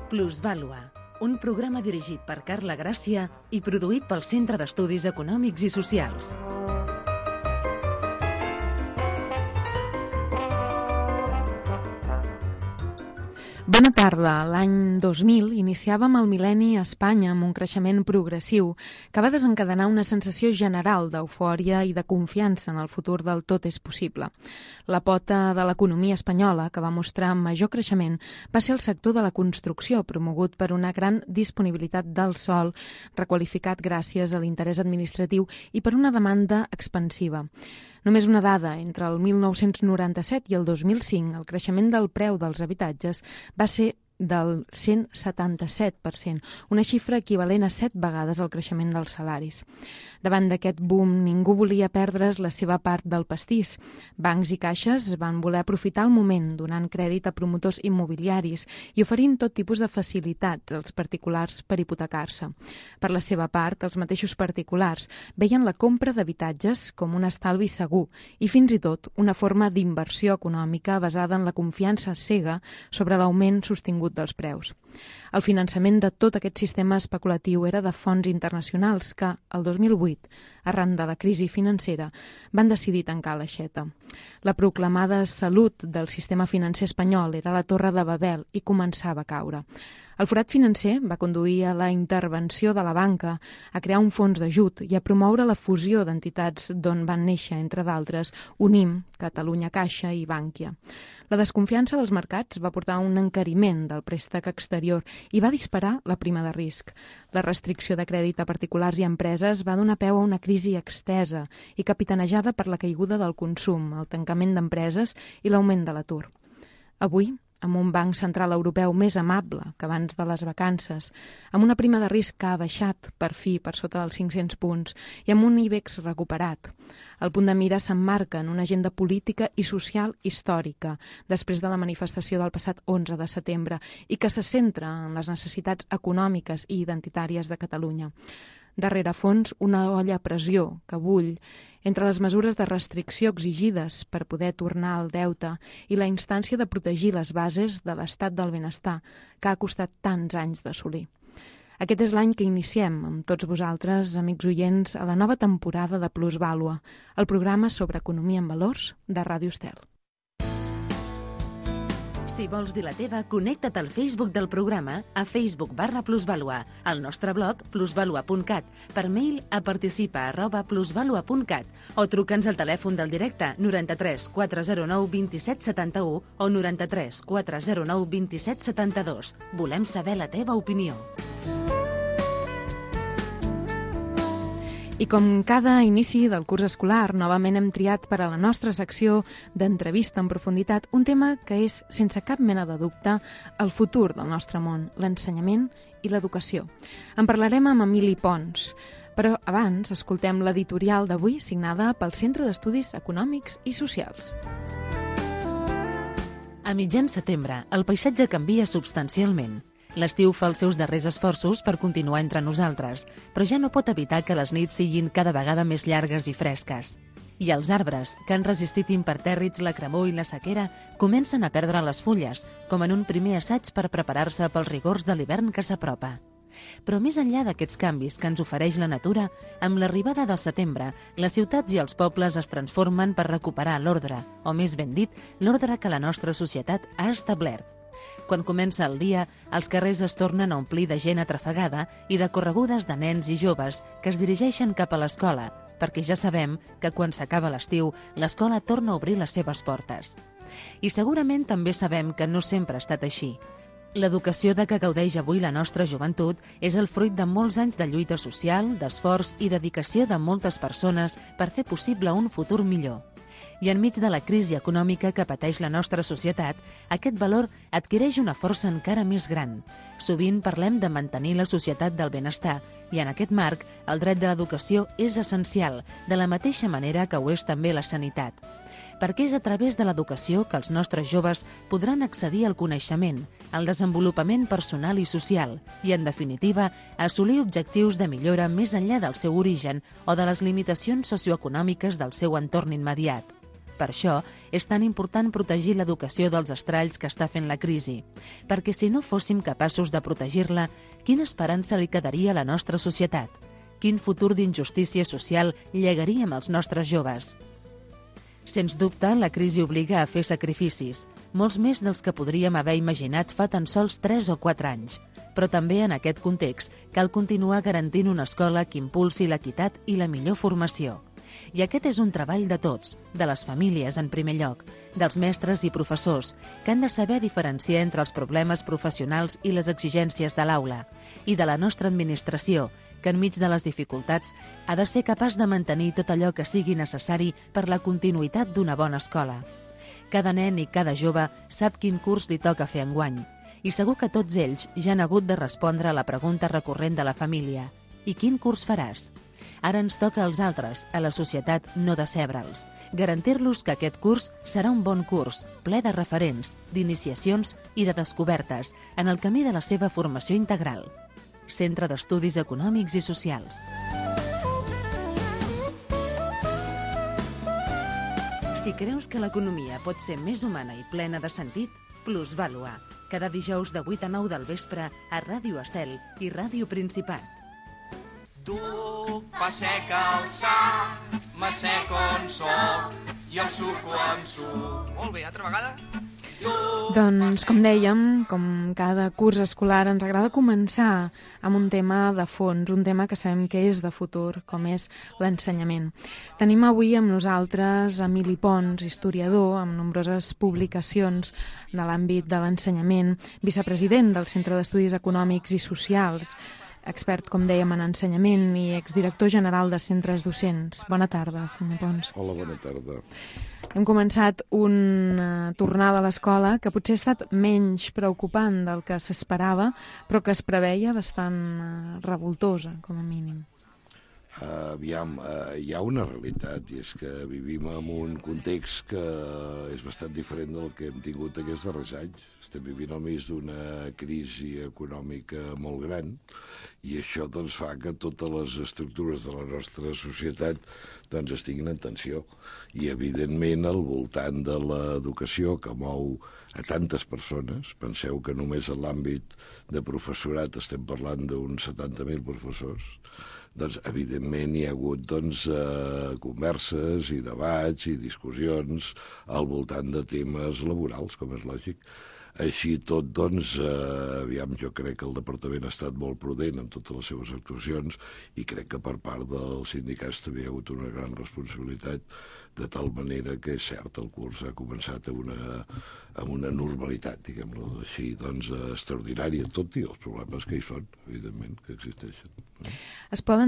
Plusvàlua, un programa dirigit per Carla Gràcia i produït pel Centre d'Estudis Econòmics i Socials. Bona tarda. L'any 2000 iniciàvem el mil·lenni a Espanya amb un creixement progressiu que va desencadenar una sensació general d'eufòria i de confiança en el futur del tot és possible. La pota de l'economia espanyola, que va mostrar major creixement, va ser el sector de la construcció, promogut per una gran disponibilitat del sòl, requalificat gràcies a l'interès administratiu i per una demanda expansiva. Només una dada, entre el 1997 i el 2005, el creixement del preu dels habitatges va ser del 177%, una xifra equivalent a 7 vegades el creixement dels salaris. Davant d'aquest boom, ningú volia perdre's la seva part del pastís. Bancs i caixes van voler aprofitar el moment, donant crèdit a promotors immobiliaris i oferint tot tipus de facilitats als particulars per hipotecar-se. Per la seva part, els mateixos particulars veien la compra d'habitatges com un estalvi segur i fins i tot una forma d'inversió econòmica basada en la confiança cega sobre l'augment sostingut dels preus. El finançament de tot aquest sistema especulatiu era de fons internacionals que, el 2008, arran de la crisi financera, van decidir tancar l'aixeta. La proclamada salut del sistema financer espanyol era la Torre de Babel i començava a caure. El forat financer va conduir a la intervenció de la banca, a crear un fons d'ajut i a promoure la fusió d'entitats d'on van néixer, entre d'altres, Unim, Catalunya Caixa i Bànquia. La desconfiança dels mercats va portar a un encariment del préstec exterior i va disparar la prima de risc. La restricció de crèdit a particulars i empreses va donar peu a una crisi extesa i capitanejada per la caiguda del consum, el tancament d'empreses i l'augment de l'atur. Avui, amb un banc central europeu més amable que abans de les vacances, amb una prima de risc que ha baixat per fi per sota dels 500 punts i amb un IBEX recuperat. El punt de mira s'emmarca en una agenda política i social històrica després de la manifestació del passat 11 de setembre i que se centra en les necessitats econòmiques i identitàries de Catalunya. Darrere fons, una olla a pressió que bull entre les mesures de restricció exigides per poder tornar al deute i la instància de protegir les bases de l'estat del benestar que ha costat tants anys d'assolir. Aquest és l'any que iniciem amb tots vosaltres, amics oients, a la nova temporada de Plusvàlua, el programa sobre economia en valors de Ràdio Estel. Si vols dir la teva, connecta't al Facebook del programa a Facebook/Plusvàlua, al nostre blog plusvalua.cat, per mail a participa@plusvalua.cat o truca'ns al telèfon del directe 93 409 27 71 o 93 409 27 72. Volem saber la teva opinió. I com cada inici del curs escolar, novament hem triat per a la nostra secció d'entrevista en profunditat un tema que és, sense cap mena de dubte, el futur del nostre món, l'ensenyament i l'educació. En parlarem amb Emili Pons, però abans escoltem l'editorial d'avui signada pel Centre d'Estudis Econòmics i Socials. A mitjan setembre, el paisatge canvia substancialment. L'estiu fa els seus darrers esforços per continuar entre nosaltres, però ja no pot evitar que les nits siguin cada vegada més llargues i fresques. I els arbres, que han resistit impertèrrits la cremor i la sequera, comencen a perdre les fulles, com en un primer assaig per preparar-se pels rigors de l'hivern que s'apropa. Però més enllà d'aquests canvis que ens ofereix la natura, amb l'arribada del setembre, les ciutats i els pobles es transformen per recuperar l'ordre, o més ben dit, l'ordre que la nostra societat ha establert. Quan comença el dia, els carrers es tornen a omplir de gent atrafegada i de corregudes de nens i joves que es dirigeixen cap a l'escola, perquè ja sabem que quan s'acaba l'estiu, l'escola torna a obrir les seves portes. I segurament també sabem que no sempre ha estat així. L'educació de què gaudeix avui la nostra joventut és el fruit de molts anys de lluita social, d'esforç i dedicació de moltes persones per fer possible un futur millor. I enmig de la crisi econòmica que pateix la nostra societat, aquest valor adquireix una força encara més gran. Sovint parlem de mantenir la societat del benestar i en aquest marc el dret de l'educació és essencial, de la mateixa manera que ho és també la sanitat. Perquè és a través de l'educació que els nostres joves podran accedir al coneixement, al desenvolupament personal i social i, en definitiva, assolir objectius de millora més enllà del seu origen o de les limitacions socioeconòmiques del seu entorn immediat. Per això és tan important protegir l'educació dels estralls que està fent la crisi, perquè si no fóssim capaços de protegir-la, quina esperança li quedaria a la nostra societat? Quin futur d'injustícia social llegaríem als nostres joves? Sens dubte, la crisi obliga a fer sacrificis, molts més dels que podríem haver imaginat fa tan sols 3 o 4 anys. Però també en aquest context cal continuar garantint una escola que impulsi l'equitat i la millor formació. I aquest és un treball de tots, de les famílies en primer lloc, dels mestres i professors, que han de saber diferenciar entre els problemes professionals i les exigències de l'aula, i de la nostra administració, que enmig de les dificultats ha de ser capaç de mantenir tot allò que sigui necessari per la continuïtat d'una bona escola. Cada nen i cada jove sap quin curs li toca fer enguany, i segur que tots ells ja han hagut de respondre a la pregunta recurrent de la família: i quin curs faràs? Ara ens toca als altres, a la societat, no decebre'ls. Garantir-los que aquest curs serà un bon curs, ple de referents, d'iniciacions i de descobertes en el camí de la seva formació integral. Centre d'Estudis Econòmics i Socials. Si creus que l'economia pot ser més humana i plena de sentit, Plusvàlua. Cada dijous de 8 a 9 del vespre a Ràdio Estel i Ràdio Principat. Tu, pa sec alçar, me sec on soc i el suco amb suc. Molt bé, altra vegada? Doncs, com dèiem, com cada curs escolar, ens agrada començar amb un tema de fons, un tema que sabem que és de futur, com és l'ensenyament. Tenim avui amb nosaltres Emili Pons, historiador, amb nombroses publicacions de l'àmbit de l'ensenyament, vicepresident del Centre d'Estudis Econòmics i Socials, expert, com dèiem, en ensenyament i exdirector general de centres docents. Bona tarda, senyor Pons. Hola, bona tarda. Hem començat una tornada a l'escola que potser ha estat menys preocupant del que s'esperava, però que es preveia bastant revoltosa, com a mínim. Aviam, hi ha una realitat, i és que vivim en un context que és bastant diferent del que hem tingut aquests darrers anys. Estem vivint al mig d'una crisi econòmica molt gran, i això doncs, fa que totes les estructures de la nostra societat doncs, estiguin en tensió. I, evidentment, al voltant de l'educació, que mou a tantes persones, penseu que només en l'àmbit de professorat estem parlant d'uns 70.000 professors, doncs, evidentment, hi ha hagut converses i debats i discussions al voltant de temes laborals, com és lògic. Així tot, doncs, aviam, jo crec que el departament ha estat molt prudent en totes les seves actuacions i crec que per part dels sindicats també hi ha hagut una gran responsabilitat, de tal manera que és cert, el curs ha començat amb una normalitat, diguem-ho així, doncs, extraordinària, tot i els problemes que hi són, evidentment, que existeixen. Es pot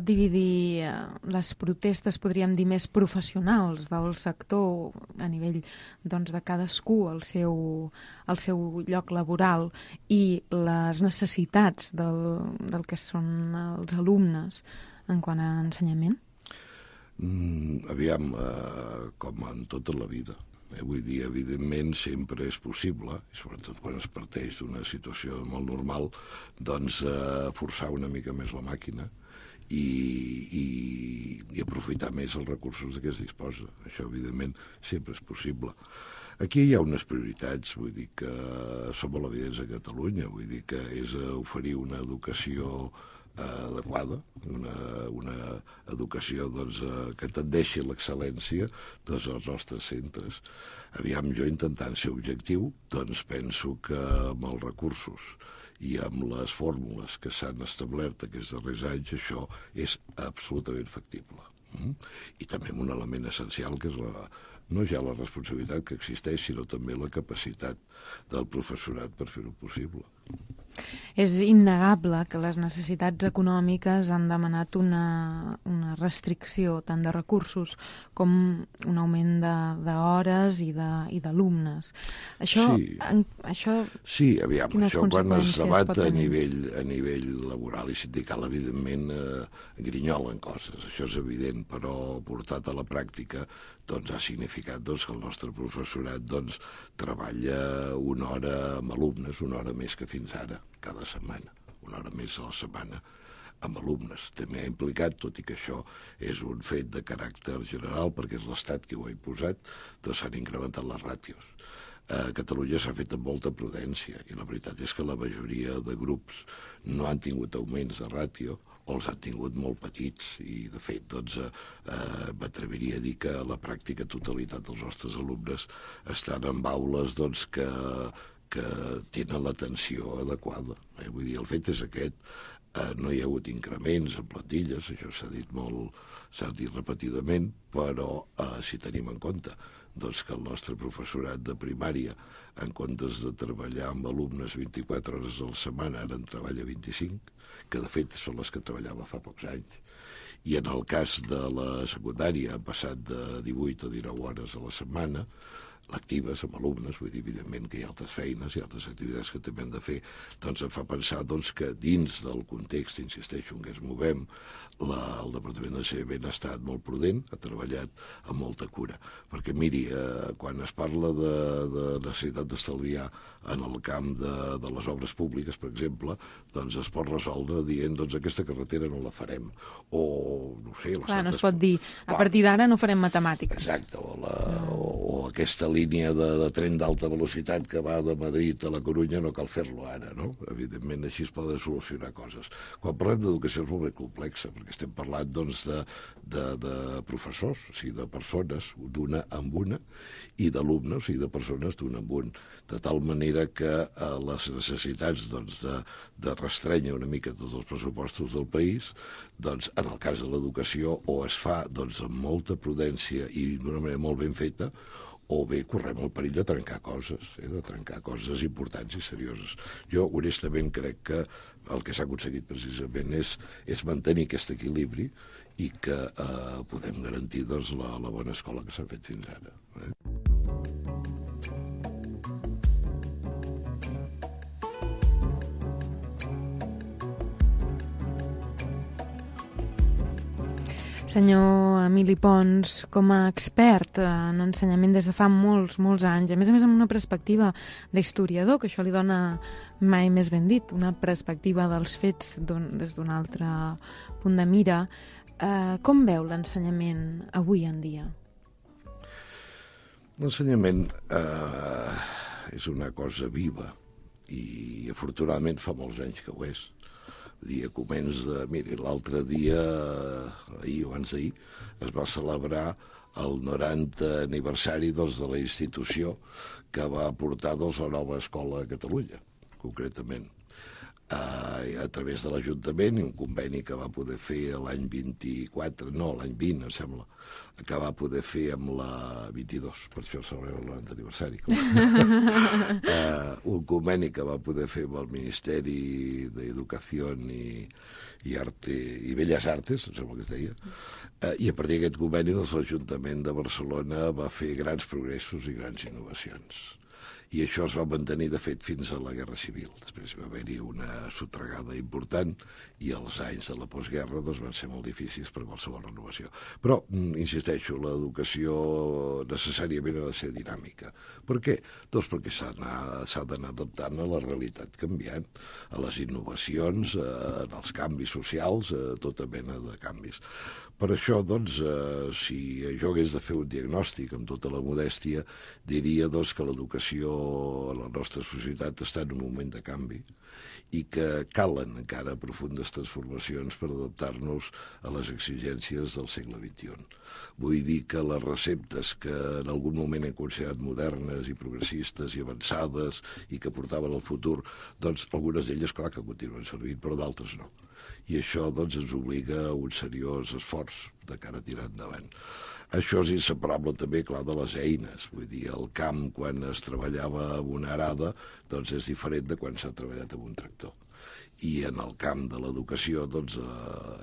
dividir les protestes, podríem dir, més professionals del sector a nivell doncs, de cadascú al seu lloc laboral i les necessitats del que són els alumnes en quant a ensenyament? Aviam, com en tota la vida. Vull dir, evidentment, sempre és possible, i sobretot quan es parteix d'una situació molt normal, doncs forçar una mica més la màquina i aprofitar més els recursos de què es disposa. Això, evidentment, sempre és possible. Aquí hi ha unes prioritats, vull dir que són molt evidents a Catalunya, vull dir que és oferir una educació adequada, una educació doncs, que tendeixi a l'excel·lència dels nostres centres. Aviam, jo intentant ser objectiu, doncs penso que amb els recursos i amb les fórmules que s'han establert aquests darrers anys, això és absolutament factible. I també amb un element essencial que és no ja la responsabilitat que existeix, sinó també la capacitat del professorat per fer-ho possible. És innegable que les necessitats econòmiques han demanat una restricció tant de recursos com un augment d'hores i d'alumnes. Sí, aviam, això quan es debat a nivell laboral i sindical, evidentment, grinyolen coses, això és evident, però portat a la pràctica doncs, ha significat que el nostre professorat treballa una hora amb alumnes, una hora més que fins ara, cada setmana, una hora més a la setmana. amb alumnes. També ha implicat, tot i que això és un fet de caràcter general, perquè és l'Estat qui ho ha imposat, doncs s'han incrementat les ràtios. A Catalunya s'ha fet amb molta prudència i la veritat és que la majoria de grups no han tingut augments de ràtio o els han tingut molt petits i, de fet, doncs, m'atreviria a dir que la pràctica totalitat dels nostres alumnes estan en aules doncs, que tenen l'atenció adequada. Vull dir, el fet és aquest. No hi ha hagut increments en plantilles, això s'ha dit molt, s'ha dit repetidament, però si tenim en compte doncs, que el nostre professorat de primària, en comptes de treballar amb alumnes 24 hores a la setmana, ara en treballa 25, que de fet són les que treballava fa pocs anys. I en el cas de la secundària han passat de 18 a 19 hores a la setmana, lectives amb alumnes, vull dir, evidentment que hi ha altres feines i altres activitats que també hem de fer, doncs em fa pensar doncs, que dins del context, insisteixo, en què ens movem, el Departament d'Ensenyament ha estat molt prudent, ha treballat amb molta cura. Perquè, miri, quan es parla de necessitat d'estalviar en el camp de les obres públiques, per exemple, doncs es pot resoldre dient, doncs aquesta carretera no la farem. O, no sé... Clar, no es pot dir, a partir d'ara no farem matemàtiques. Exacte, o aquesta línia de tren d'alta velocitat que va de Madrid a la Corunya no cal fer-lo ara, no? Evidentment, així es poden solucionar coses. Quan parlem d'educació és molt més complexa, perquè estem parlant doncs, de professors, o sigui, de persones d'una amb una, i d'alumnes, o sigui, de persones d'una amb un, de tal manera que les necessitats doncs, de restrènyer una mica tots els pressupostos del país, doncs, en el cas de l'educació, o es fa doncs, amb molta prudència i d'una manera molt ben feta, o bé correm el perill de trencar coses, de trencar coses importants i serioses. Jo, honestament, crec que el que s'ha aconseguit precisament és mantenir aquest equilibri i que podem garantir doncs, la bona escola que s'ha fet fins ara. Senyor Emili Pons, com a expert en ensenyament des de fa molts anys, a més amb una perspectiva d'historiador, que això li dona mai més ben dit, una perspectiva dels fets des d'un altre punt de mira, com veu l'ensenyament avui en dia? L'ensenyament és una cosa viva i afortunadament fa molts anys que ho és. Miri, l'altre dia, ahir o abans d'ahir, es va celebrar el 90 aniversari de la institució que va portar la nova escola a Catalunya, concretament. A través de l'Ajuntament i un conveni que va poder fer l'any 24, no, l'any 20, em sembla, que va poder fer amb la 22, per això celebrem el 90 aniversari. Un conveni que va poder fer amb el Ministeri d'Educació i Arte i Belles Artes, em sembla que es deia, i a partir d'aquest conveni l'Ajuntament de Barcelona va fer grans progressos i grans innovacions. I això es va mantenir, de fet, fins a la Guerra Civil. Després va haver-hi una sotragada important i els anys de la postguerra doncs, van ser molt difícils per qualsevol renovació. Però, insisteixo, l'educació necessàriament ha de ser dinàmica. Per què? Doncs perquè s'ha d'anar adaptant a la realitat canviant, a les innovacions, als canvis socials, a tota mena de canvis. Per això, doncs, si jo hagués de fer un diagnòstic amb tota la modèstia, diria doncs, que l'educació a la nostra societat està en un moment de canvi i que calen encara profundes transformacions per adaptar-nos a les exigències del segle XXI. Vull dir que les receptes que en algun moment hem considerat modernes i progressistes i avançades i que portaven al futur, doncs algunes d'elles, clar, que continuen servint, però d'altres no. I això doncs, ens obliga a un seriós esforç de cara a tirar endavant. Això és inseparable també, clar, de les eines. Vull dir, el camp, quan es treballava amb una arada, doncs és diferent de quan s'ha treballat amb un tractor. I en el camp de l'educació doncs,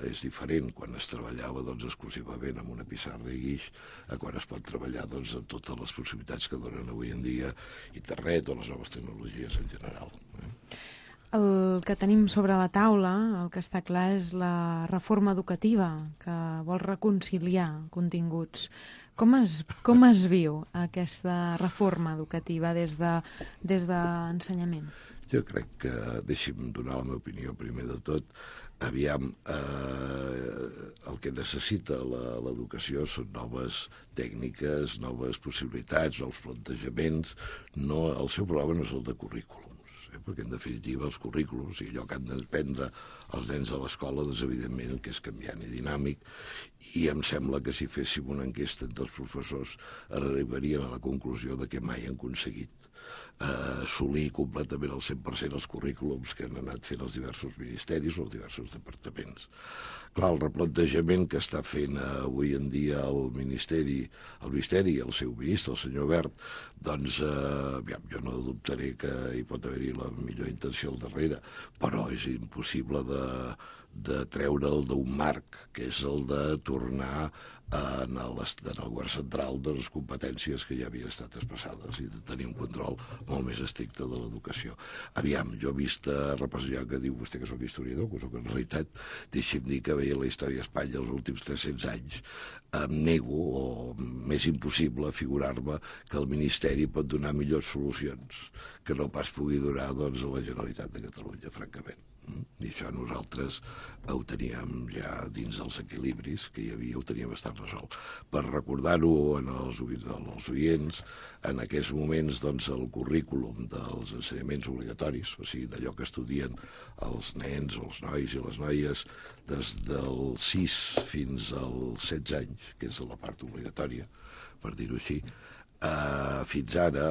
és diferent quan es treballava doncs, exclusivament amb una pissarra i guix a quan es pot treballar doncs, amb totes les possibilitats que donen avui en dia internet o les noves tecnologies en general. El que tenim sobre la taula, el que està clar, és la reforma educativa que vol reconciliar continguts. Com es viu aquesta reforma educativa des d'ensenyament? Jo crec que, deixi'm donar la meva opinió primer de tot, aviam, el que necessita l'educació són noves tècniques, noves possibilitats, nous plantejaments. No, el seu problema no és el de currículums, perquè en definitiva els currículums i allò que han d'aprendre els nens a l'escola, doncs evidentment que és canviant i dinàmic, i em sembla que si féssim una enquesta entre els professors arribaríem a la conclusió de que mai han aconseguit assolir completament el 100% els currículums que han anat fent els diversos ministeris o els diversos departaments. Clar, el replantejament que està fent avui en dia el Ministeri i el seu ministre, el senyor Wert, doncs jo no dubtaré que hi pot haver-hi la millor intenció al darrere, però és impossible de treure'l d'un marc, que és el de tornar en el govern central de les competències que ja havien estat expressades i de tenir un control molt més estricte de l'educació. Aviam, jo he vist repassar que diu vostè que soc historiador, que soc en realitat, deixi'm dir que veia la història d'Espanya els últims 300 anys, em nego, o més impossible, figurar-me que el Ministeri pot donar millors solucions que no pas pugui donar doncs, a la Generalitat de Catalunya, francament. I això nosaltres ho teníem ja dins dels equilibris que hi havia, ho teníem bastant resolt. Per recordar-ho als oients, en aquests moments doncs, el currículum dels ensenyaments obligatoris, o sigui, d'allò que estudien els nens, els nois i les noies, des dels 6 fins als 16 anys, que és la part obligatòria, per dir-ho així, fins ara,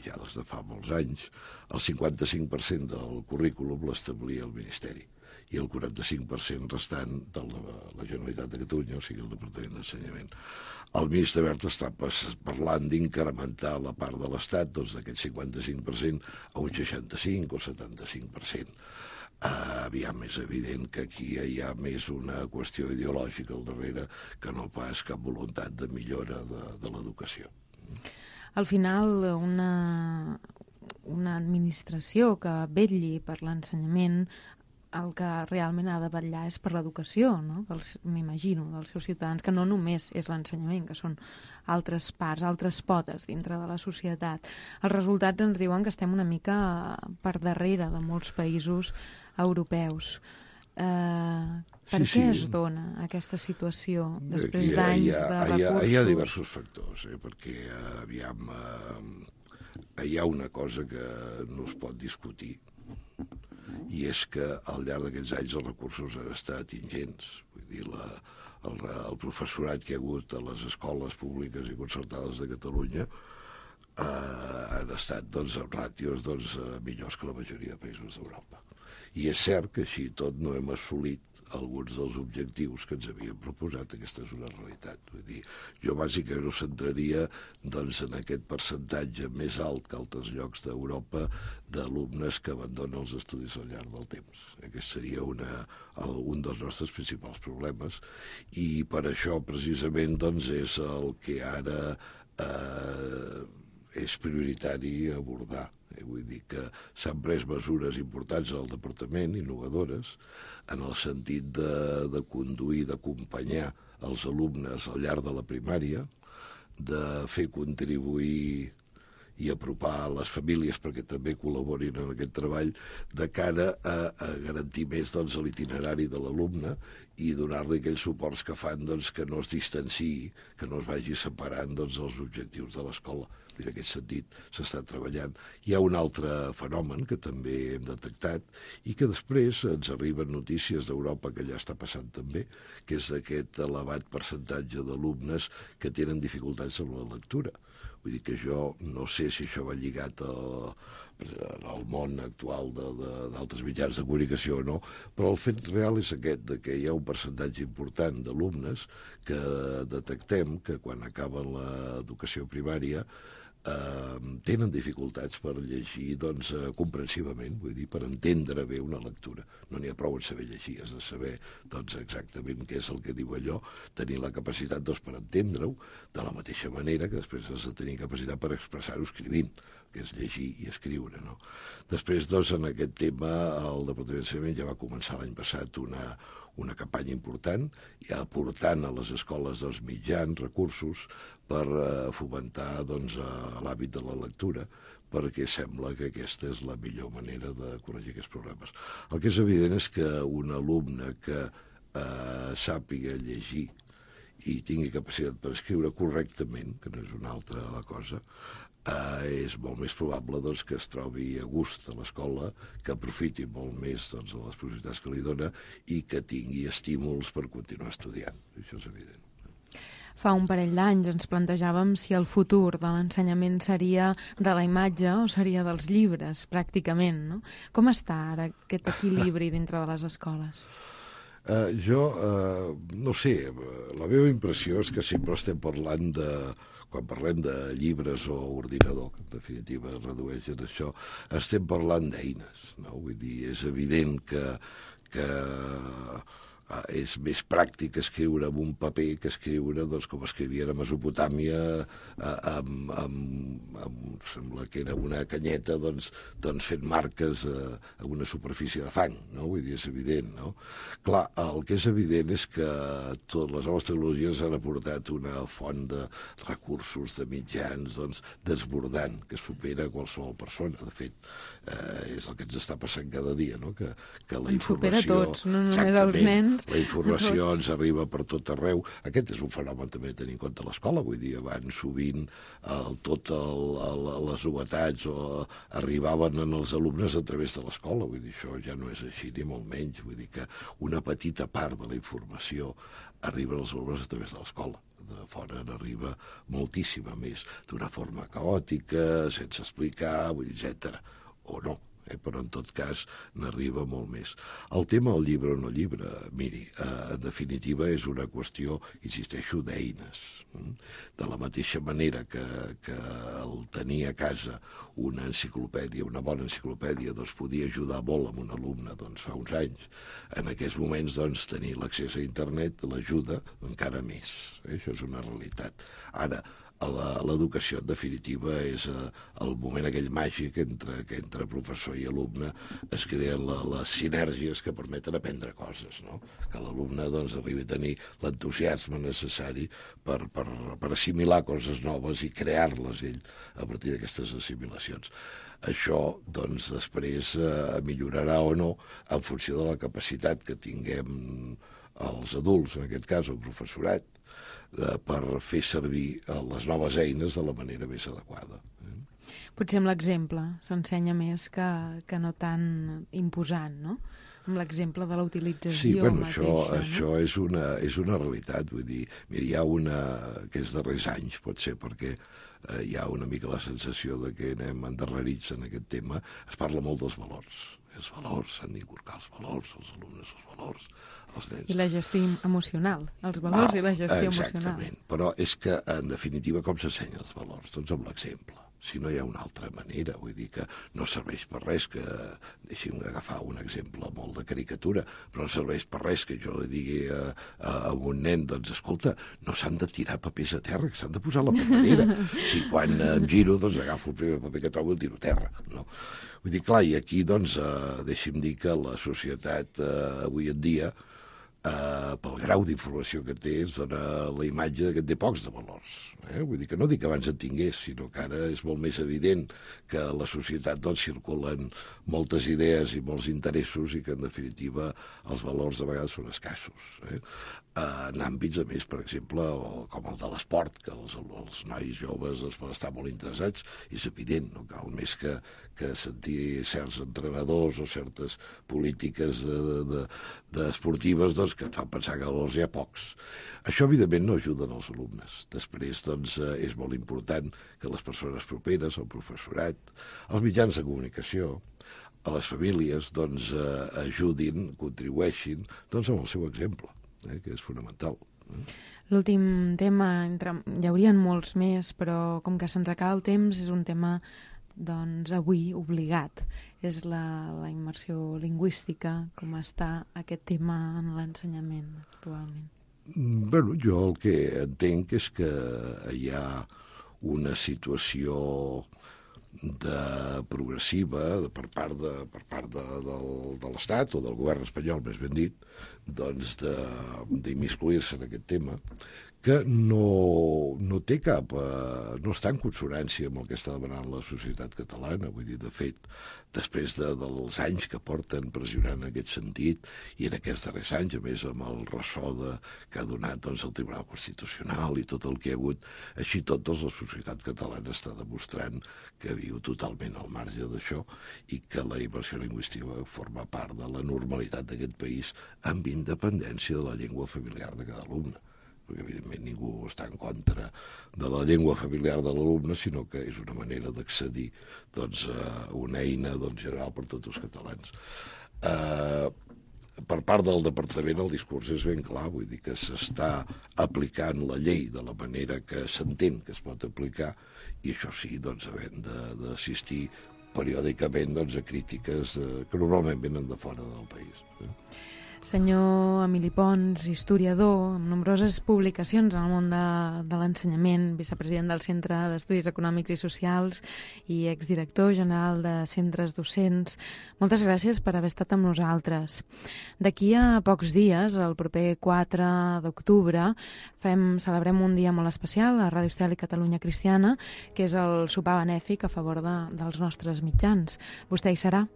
ja des de fa molts anys, el 55% del currículum l'establia el Ministeri i el 45% restant de la Generalitat de Catalunya, o sigui, el Departament d'Ensenyament. El ministre Wert està parlant d'incrementar la part de l'Estat d'aquest 55% a un 65 o 75%. Aviam, és evident que aquí hi ha més una qüestió ideològica al darrere que no pas cap voluntat de millora de l'educació. Al final, una administració que vetlli per l'ensenyament, el que realment ha de vetllar és per l'educació, no? M'imagino, dels seus ciutadans, que no només és l'ensenyament, que són altres parts, altres potes dintre de la societat. Els resultats ens diuen que estem una mica per darrere de molts països europeus. Per què es dona aquesta situació després d'anys de recursos? Hi ha diversos factors, perquè aviam, hi ha una cosa que no es pot discutir, i és que al llarg d'aquests anys els recursos han estat ingents. Vull dir, el professorat que hi ha hagut a les escoles públiques i concertades de Catalunya han estat amb ràtios millors que la majoria de països d'Europa. I és cert que així tot no hem assolit alguns dels objectius que ens havíem proposat. Aquesta és una realitat. Vull dir, jo bàsicament ho centraria en aquest percentatge més alt que altres llocs d'Europa d'alumnes que abandonen els estudis al llarg del temps. Aquest seria un dels nostres principals problemes, i per això precisament és el que ara és prioritari abordar. Vull dir que s'han pres mesures importants al departament, innovadores, en el sentit de conduir, d'acompanyar els alumnes al llarg de la primària, de fer contribuir i apropar les famílies perquè també col·laborin en aquest treball de cara a garantir més l'itinerari de l'alumne i donar-li aquells suports que fan que no es distanciï, que no es vagi separant dels objectius de l'escola. En aquest sentit s'està treballant. Hi ha un altre fenomen que també hem detectat i que després ens arriben notícies d'Europa que ja està passant també, que és aquest elevat percentatge d'alumnes que tenen dificultats amb la lectura. Vull dir que jo no sé si això va lligat al món actual d'altres mitjans de comunicació o no, però el fet real és aquest, que hi ha un percentatge important d'alumnes que detectem que quan acaben l'educació primària tenen dificultats per llegir comprensivament, vull dir, per entendre bé una lectura. No n'hi ha prou en saber llegir, has de saber exactament què és el que diu allò, tenir la capacitat per entendre-ho, de la mateixa manera que després has de tenir capacitat per expressar-ho escrivint, que és llegir i escriure, no? Després, en aquest tema, el Departament d'Ensenyament ja va començar l'any passat una campanya important, ja aportant a les escoles mitjans, recursos, per fomentar l'hàbit de la lectura, perquè sembla que aquesta és la millor manera de corregir aquests problemes. El que és evident és que un alumne que sàpiga llegir i tingui capacitat per escriure correctament, que no és una altra la cosa, és molt més probable doncs, que es trobi a gust a l'escola, que aprofiti molt més doncs, de les possibilitats que li dona i que tingui estímuls per continuar estudiant. Això és evident. Fa un parell d'anys ens plantejàvem si el futur de l'ensenyament seria de la imatge o seria dels llibres, pràcticament, no? Com està ara aquest equilibri dintre de les escoles? No sé, la meva impressió és que sempre estem parlant quan parlem de llibres o ordinador, que en definitiva es redueix en això, estem parlant d'eines, no? Vull dir, és evident que és més pràctic escriure amb un paper que escriure doncs, com escrivien a Mesopotàmia sembla que era una canyeta doncs fent marques a una superfície de fang, no? Vull dir, és evident, no? Clar, el que és evident és que totes les noves tecnologies han aportat una font de recursos, de mitjans, doncs, desbordant, que supera qualsevol persona. De fet, és el que ens està passant cada dia, no? Que la informació... Supera tots, no només els nens. La informació ens arriba per tot arreu. Aquest és un fenomen també a tenir en compte a l'escola. Vull dir, abans sovint les novetats arribaven als alumnes a través de l'escola. Vull dir, això ja no és així, ni molt menys. Vull dir que una petita part de la informació arriba als alumnes a través de l'escola. De fora n'arriba moltíssima més, d'una forma caòtica, sense explicar, etc. O no. Però en tot cas n'arriba molt més. El tema del llibre o no llibre, miri, en definitiva és una qüestió, insisteixo, d'eines. De la mateixa manera que el tenir a casa una enciclopèdia, una bona enciclopèdia, doncs podia ajudar molt a un alumne fa uns anys. En aquests moments, tenir l'accés a internet l'ajuda encara més. Això és una realitat. Ara, l'educació, en definitiva, és el moment aquell màgic que entre professor i alumne es creen les sinergies que permeten aprendre coses, no? Que l'alumne arribi a tenir l'entusiasme necessari per assimilar coses noves i crear-les ell a partir d'aquestes assimilacions. Això, després, millorarà o no en funció de la capacitat que tinguem els adults, en aquest cas el professorat, per fer servir les noves eines de la manera més adequada. Potser amb l'exemple s'ensenya més que no tan imposant, no? Amb l'exemple de la utilització mateixa. Això és una realitat. Vull dir, mira, hi ha una aquests darrers anys, pot ser perquè hi ha una mica la sensació de que anem endarrerits en aquest tema, es parla molt dels valors. Els valors, s'han d'inculcar els valors, els alumnes els valors, els nens. I la gestió emocional, els valors i la gestió emocional. Exactament, però és que, en definitiva, com s'ensenyen els valors? Doncs amb l'exemple. Si no hi ha una altra manera, vull dir que no serveix per res que, deixi'm agafar un exemple molt de caricatura, però no serveix per res que jo li digui a un nen, escolta, no s'han de tirar papers a terra, que s'han de posar a la paperera. Si quan em giro, agafo el primer paper que trobo i el tiro a terra, no? Vull dir, clar, i aquí, deixi'm dir que la societat avui en dia, pel grau d'informació que té, es dona la imatge que té pocs de valors. Vull dir que no dic que abans en tingués, sinó que ara és molt més evident que a la societat circulen moltes idees i molts interessos i que, en definitiva, els valors de vegades són escassos. En àmbits, a més, per exemple, com el de l'esport, que els nois joves poden estar molt interessats, és evident, no cal més que sentir certs entrenadors o certes polítiques esportives que et fan pensar que valors hi ha pocs. Això, evidentment, no ajuden els alumnes. Després, és molt important que les persones properes, el professorat, els mitjans de comunicació, a les famílies, ajudin, contribueixin, amb el seu exemple, que és fonamental. L'últim tema, hi haurien molts més, però com que se'ns acaba el temps, és un tema, avui obligat. És la immersió lingüística, com està aquest tema en l'ensenyament actualment. Bueno, jo el que entenc és que hi ha una situació progressiva per part de l'Estat o del govern espanyol, més ben dit, d'immiscuir-se en aquest tema, que no té cap... no està en consonància amb el que està demanant la societat catalana. Vull dir, de fet, després dels anys que porten pressionant en aquest sentit, i en aquests darrers anys, a més, amb el ressò que ha donat el Tribunal Constitucional i tot el que hi ha hagut, així tot, la societat catalana està demostrant que viu totalment al marge d'això i que la immersió lingüística forma part de la normalitat d'aquest país amb independència de la llengua familiar de cada alumne. Perquè, evidentment, ningú està en contra de la llengua familiar de l'alumne, sinó que és una manera d'accedir a una eina general per tots els catalans. Per part del Departament el discurs és ben clar, vull dir que s'està aplicant la llei de la manera que s'entén que es pot aplicar, i això sí, havent d'assistir periòdicament a crítiques que normalment venen de fora del país. Senyor Emili Pons, historiador, amb nombroses publicacions en el món de l'ensenyament, vicepresident del Centre d'Estudis Econòmics i Socials i exdirector general de centres docents, moltes gràcies per haver estat amb nosaltres. D'aquí a pocs dies, el proper 4 d'octubre, celebrem un dia molt especial a Ràdio Estel i Catalunya Cristiana, que és el sopar benèfic a favor dels nostres mitjans. Vostè hi serà?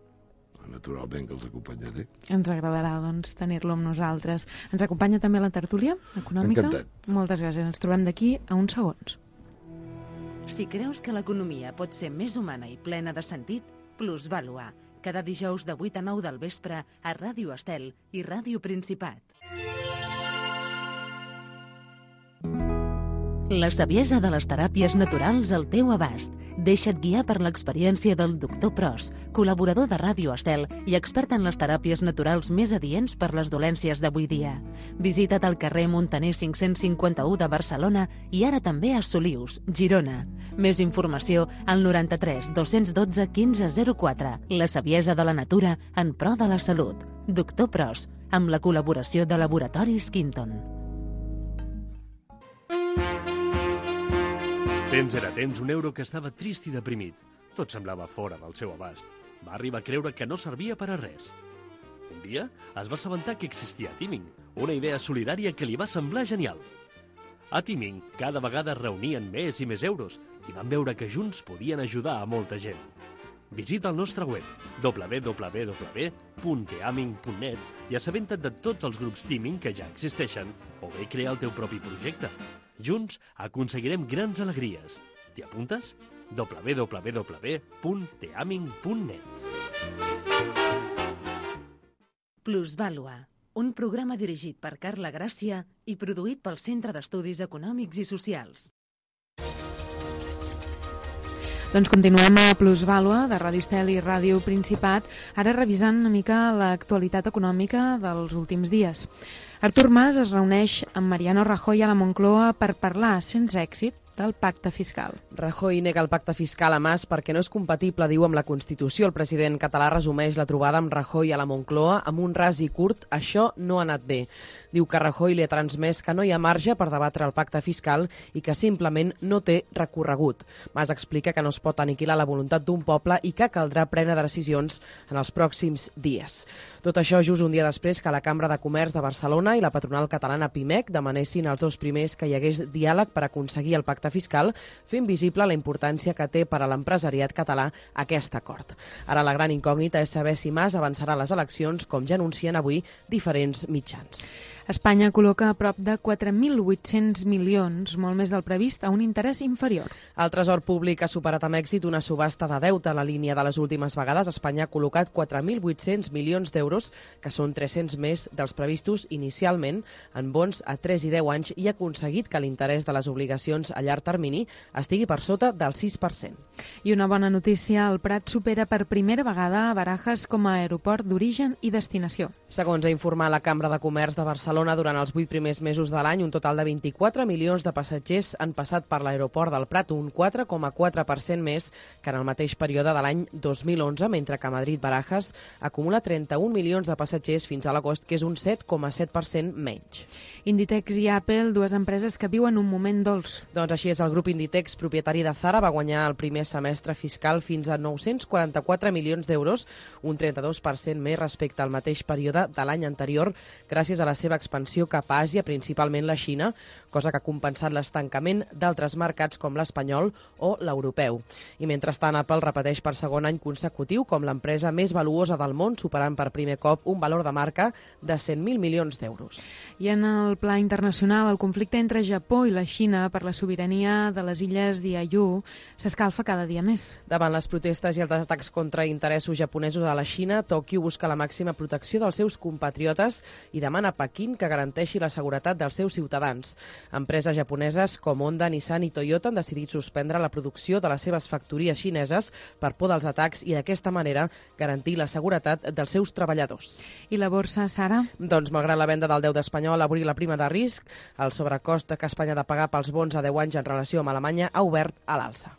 Naturalment que els acompanyaré. Ens agradarà, tenir-lo amb nosaltres. Ens acompanya també la tertúlia econòmica? Encantat. Moltes gràcies. Ens trobem d'aquí a uns segons. Si creus que l'economia pot ser més humana i plena de sentit, Plusvàlua. Cada dijous de 8 a 9 del vespre a Ràdio Estel i Ràdio Principat. La saviesa de les teràpies naturals al teu abast. Deixa't guiar per l'experiència del Dr. Pros, col·laborador de Ràdio Estel i expert en les teràpies naturals més adients per les dolències d'avui dia. Visita't al carrer Montaner 551 de Barcelona i ara també a Solius, Girona. Més informació al 93 212 1504. La saviesa de la natura en pro de la salut. Dr. Pros, amb la col·laboració de Laboratoris Quinton. Temps era temps, un euro que estava trist i deprimit. Tot semblava fora del seu abast. Va arribar a creure que no servia per a res. Un dia es va assabentar que existia Teaming, una idea solidària que li va semblar genial. A Teaming cada vegada reunien més i més euros i van veure que junts podien ajudar a molta gent. Visita el nostre web www.teaming.net i assabenta't de tots els grups Teaming que ja existeixen o bé crea el teu propi projecte. Junts aconseguirem grans alegries. T'hi apuntes? www.teaming.net. Plusvàlua, un programa dirigit per Carla Gràcia i produït pel Centre d'Estudis Econòmics i Socials. Doncs continuem a Plusvàlua, de Ràdio Estel i Ràdio Principat, ara revisant una mica l'actualitat econòmica dels últims dies. Artur Mas es reuneix amb Mariano Rajoy a la Moncloa per parlar, sense èxit, del pacte fiscal. Rajoy nega el pacte fiscal a Mas perquè no és compatible, diu, amb la Constitució. El president català resumeix la trobada amb Rajoy a la Moncloa amb un ras i curt: això no ha anat bé. Diu que Rajoy li ha transmès que no hi ha marge per debatre el pacte fiscal i que simplement no té recorregut. Mas explica que no es pot aniquilar la voluntat d'un poble i que caldrà prendre decisions en els pròxims dies. Tot això just un dia després que la Cambra de Comerç de Barcelona i la patronal catalana Pimec demanessin als dos primers que hi hagués diàleg per aconseguir el pacte fiscal, fent visible la importància que té per a l'empresariat català aquest acord. Ara la gran incògnita és saber si Mas avançarà a les eleccions, com ja anuncien avui diferents mitjans. Espanya col·loca a prop de 4.800 milions, molt més del previst, a un interès inferior. El Tresor Públic ha superat amb èxit una subhasta de deute a la línia de les últimes vegades. Espanya ha col·locat 4.800 milions d'euros, que són 300 més dels previstos inicialment, en bons a 3 i 10 anys, i ha aconseguit que l'interès de les obligacions a llarg termini estigui per sota del 6%. I una bona notícia, el Prat supera per primera vegada a Barajas com a aeroport d'origen i destinació. Segons ha informat la Cambra de Comerç de Barcelona, Barcelona durant els 8 primers mesos de l'any, un total de 24 milions de passatgers han passat per l'aeroport del Prat, un 4,4% més que en el mateix període de l'any 2011, mentre que Madrid-Barajas acumula 31 milions de passatgers fins a l'agost, que és un 7,7% menys. Inditex i Apple, dues empreses que viuen un moment dolç. Doncs així és, el grup Inditex, propietari de Zara, va guanyar el primer semestre fiscal fins a 944 milions d'euros, un 32% més respecte al mateix període de l'any anterior, gràcies a la seva expansió cap a Àsia, principalment la Xina, cosa que ha compensat l'estancament d'altres mercats com l'espanyol o l'europeu. I mentrestant, Apple repeteix per segon any consecutiu com l'empresa més valuosa del món, superant per primer cop un valor de marca de 100.000 milions d'euros. I en el pla internacional, el conflicte entre Japó i la Xina per la sobirania de les illes Diaoyu s'escalfa cada dia més. Davant les protestes i els atacs contra interessos japonesos a la Xina, Tòquio busca la màxima protecció dels seus compatriotes i demana a Pequín que garanteixi la seguretat dels seus ciutadans. Empreses japoneses com Honda, Nissan i Toyota han decidit suspendre la producció de les seves factories xineses per por dels atacs i d'aquesta manera garantir la seguretat dels seus treballadors. I la borsa, Sara? Doncs malgrat la venda del deute espanyol, avui la prima de risc, el sobrecost que Espanya ha de pagar pels bons a 10 anys en relació amb Alemanya ha obert a l'alça.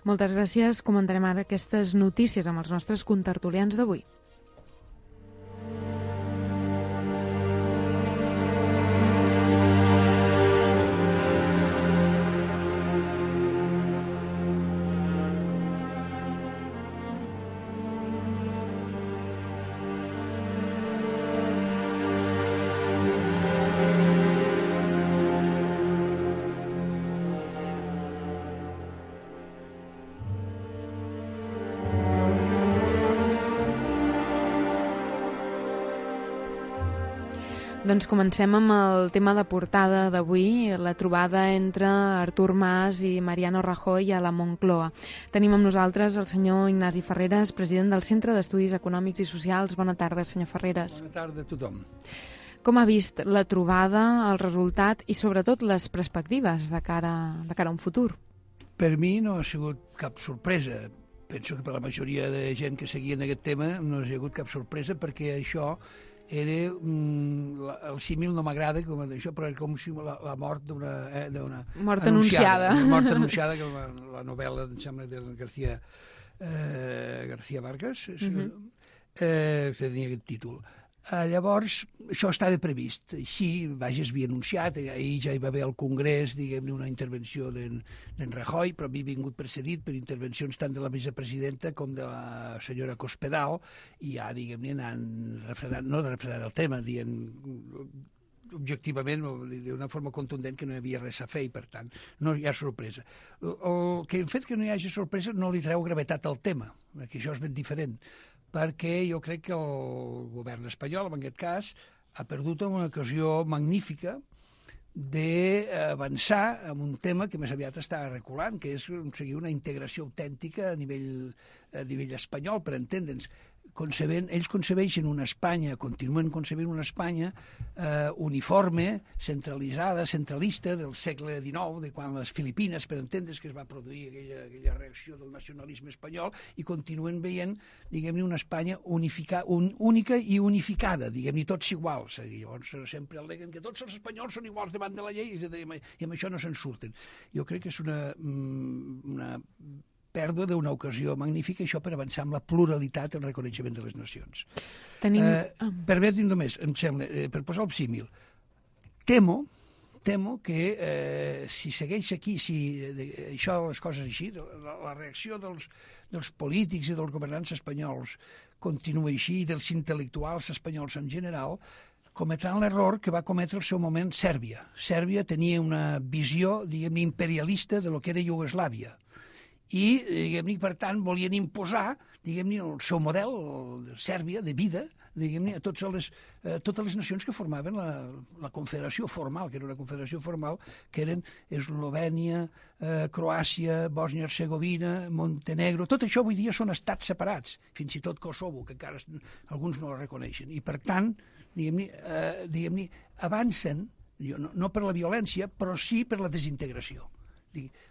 Moltes gràcies. Comentarem ara aquestes notícies amb els nostres contertulians d'avui. Doncs comencem amb el tema de portada d'avui, la trobada entre Artur Mas i Mariano Rajoy a la Moncloa. Tenim amb nosaltres el senyor Ignasi Ferreres, president del Centre d'Estudis Econòmics i Socials. Bona tarda, senyor Ferreres. Bona tarda a tothom. Com ha vist la trobada, el resultat i sobretot les perspectives de cara a un futur? Per mi no ha sigut cap sorpresa. Penso que per la majoria de gent que seguien aquest tema no ha sigut cap sorpresa perquè això era el símil no m'agrada com això, però era com si la mort d'una mort anunciada. Una mort anunciada, que la novel·la, em sembla, de García Márquez, tenia aquest títol. Llavors, això estava previst. Així, vaja, es havia anunciat, ahir ja hi va haver al Congrés, diguem-ne, una intervenció d'en Rajoy, però havia vingut precedit per intervencions tant de la vicepresidenta com de la senyora Cospedal, i ja, diguem-ne, anant refredant, no refredant el tema, dient objectivament, d'una forma contundent, que no hi havia res a fer i, per tant, no hi ha sorpresa. El fet que no hi hagi sorpresa no li treu gravetat al tema, perquè això és ben diferent, perquè jo crec que el govern espanyol, en aquest cas, ha perdut una ocasió magnífica d'avançar en un tema que més aviat està reculant, que és aconseguir una integració autèntica a nivell espanyol, per entendre'ns. Ells concebeixen una Espanya, continuen concebent una Espanya uniforme, centralitzada, centralista del segle XIX, de quan les Filipines, per entendre's, que es va produir aquella reacció del nacionalisme espanyol, i continuen veient, diguem-ne, una Espanya única i unificada, diguem-ne, tots iguals. Llavors sempre al·leguen que tots els espanyols són iguals davant de la llei i amb això no se'n surten. Jo crec que és una pèrdua d'una ocasió magnífica, això per avançar amb la pluralitat i el reconeixement de les nacions. Permeti'm només, em sembla, per posar el símil, temo que si segueix aquí, si això, les coses així, la reacció dels polítics i dels governants espanyols continua així, i dels intel·lectuals espanyols en general, cometran l'error que va cometre al seu moment Sèrbia. Sèrbia tenia una visió, diguem-ne, imperialista de lo que era Iugoslàvia. I, diguem-ne, per tant, volien imposar, diguem-ne, el seu model, de Sèrbia, de vida, diguem-ne, a totes les nacions que formaven la confederació formal, que era una confederació formal, que eren Eslovènia, Croàcia, Bòsnia-Hercegovina, Montenegro. Tot això avui dia són estats separats, fins i tot Kosovo, que encara alguns no el reconeixen. I, per tant, diguem-ne, avancen, no per la violència, però sí per la desintegració.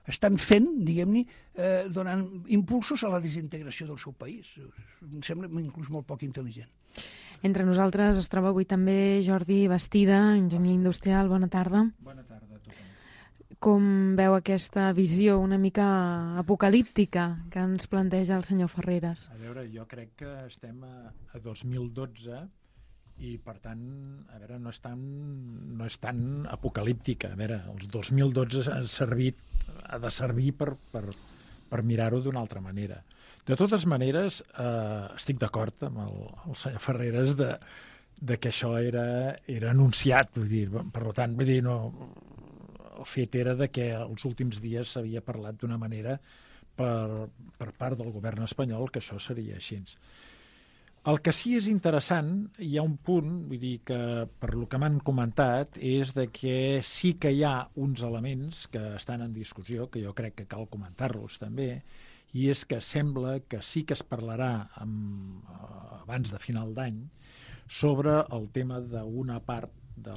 Estan fent, diguem-ne, donant impulsos a la desintegració del seu país. Em sembla inclús molt poc intel·ligent. Entre nosaltres es troba avui també Jordi Bastida, enginyer industrial. Bona tarda. Bona tarda a tothom. Com veu aquesta visió una mica apocalíptica que ens planteja el senyor Ferreres? A veure, jo crec que estem a 2012 i, per tant, a veure, no és tan apocalíptica. A veure, el 2012 ha de servir per mirar-ho d'una altra manera. De totes maneres, estic d'acord amb el senyor Ferreres de que això era anunciat, vull dir, per tant, vull dir, no, el fet era de que els últims dies s'havia parlat d'una manera per part del govern espanyol que això seria així. El que sí és interessant, hi ha un punt, vull dir que per lo que m'han comentat, és de que sí que hi ha uns elements que estan en discussió, que jo crec que cal comentar-los també, i és que sembla que sí que es parlarà abans de final d'any sobre el tema d'una part de